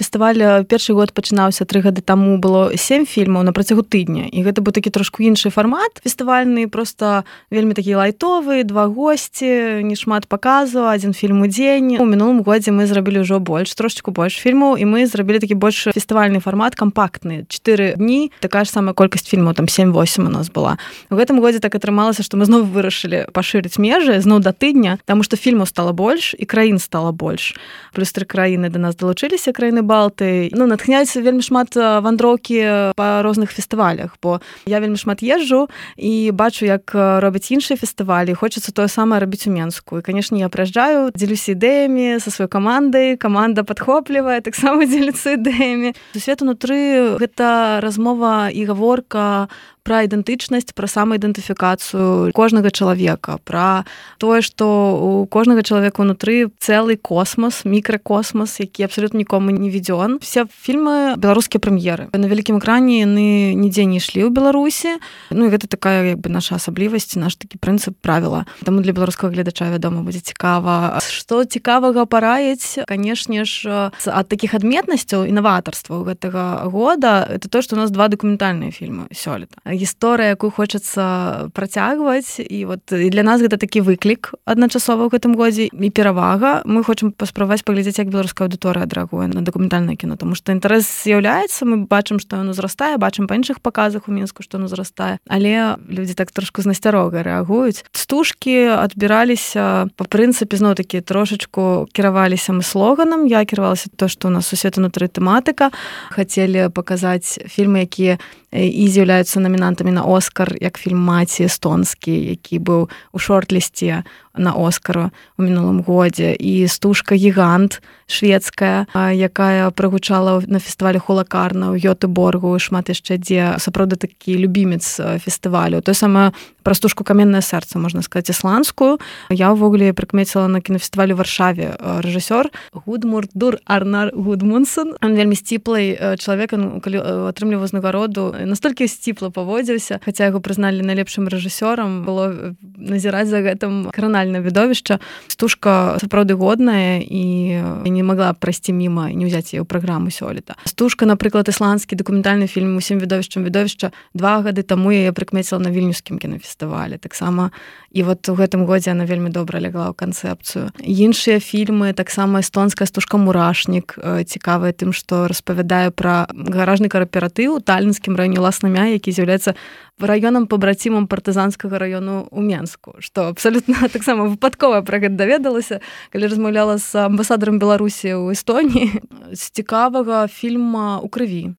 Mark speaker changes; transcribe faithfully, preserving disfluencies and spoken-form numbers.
Speaker 1: фестываль першы год пачынаўся тры гады таму, было сем фільмаў на працягу тыдня. І гэта быў такі трошку іншы фармат фестывальны, проста вельмі такі лайтовы, два госці, не шмат паказу, адзін фільм у дзень. У мінулым годзе мы зрабілі ўжо больш, трошечку больш фільмаў, і мы зрабілі такі больш фестывальны фармат, кампактны. чатыры дні, такая ж самая колькасць фільмаў, там сем-восем у нас была. У гэтым годзе так атрымалася, што мы зноў вырашылі пашырыць межы, зноў да тыдня, таму што фільмаў стала больш і краін стала больш. Плюс тры краіны да нас далучыліся, краіны Балты. Ну, натхняюцца вельмі шмат вандроўкі па розных фестывалях, бо я вельмі шмат езджу і бачу, як робяць іншыя фестывалі, хочацца тое самае рабіць у Менску. І, канешне, я прыязджаю, дзелюся ідэямі са сваёй камандай, каманда падхоплівае, таксама дзеліцца ідэямі. Сусвет унутры — гэта размова і гаворка пра ідэнтычнасць, пра самаідэнтыфікацыю кожнага чалавека, пра тое, што у кожнага чалавека ўнутры цэлы космас, мікракосмас, які абсалютна нікому не відзён. Все фільмы беларускія прэм'еры. На вялікім экране яны нідзе не ішлі ў Беларусі. Ну, і гэта такая, як бы, наша асаблівасць, наш такі прынцып, правіла. Таму для беларускага гледача, вядома, будзе цікава. Што цікавага параіць, канешне ж, ад такіх адметнасцяў і наватарстваў гэтага года, это то, што у нас два дакументальныя фільмы сёлета. Гісторыя, якую хочацца працягваць, і вот і для нас гэта такі выклік адначасова ў гэтым годзе і перавага. Мы хочам паспрабаваць паглядзець, як беларуская аўдыторыя адрэагуе на дакументальнае кіно, таму што інтарэс з'яўляецца, мы бачым, што ён узрастае, бачым па іншых паказах у Мінску, што ён узрастае, але людзі так трошку з насцярогай рэагуюць. Стужкі адбіраліся па прынцыпе, зноў-такі, трошачку кіраваліся мы слоганам. Я кіравалася то, што у нас сусвет унутры тэматыка. Хацелі паказаць фільмы, якія і з'яўляюцца намінантамі на Оскар, як фільм «Маці» эстонскі, які быў у шорт-лісце на Оскара у мінулым годзе, і стужка «Гігант» шведская, якая прагучала на фестывалі Холакарна ў Гётэборгу, шмат яшчэ дзе, сапраўды такі любімец фестывалю. Тое самае пра стужку «Каменнае сэрца», можна сказаць, ісландскую. Я ўвогуле прыкмеціла на кінафестывалі ў Варшаве рэжысёр Гудмурdur Арнар Гудмунсон. Ён вельмі сціплый чалавек, калі атрымліваў узнагароду, настолькі сціпла паводзіўся, хаця яго прызналі найлепшым рэжысёрам, было назіраць за гэтым кранальнае відовішча. Стужка сапраўды годная, і не магла прайсці міма і не ўзяць яе ў праграму сёлета. Стужка, напрыклад, ісландскі дакументальны фільм «Усім відовішчам відовішча», два гады таму я прыкмеціла на вільнюскім кінафестывалі. Таксама і вот у гэтым годзе яна вельмі добра лягла ў канцэпцыю. Іншыя фільмы, таксама эстонская стужка «Мурашнік», цікавая тым, што распавядае пра гаражны кааператыў у талінскім раёне Ласнамя, які з'яўляецца раёнам пабрацімам партызанскага раёну ў Менску, што абсалютна таксама выпадкова пра гэта даведалася, калі размаўляла з амбасадарам Беларусі ў Эстоніі. З цікавага фільма «У крыві».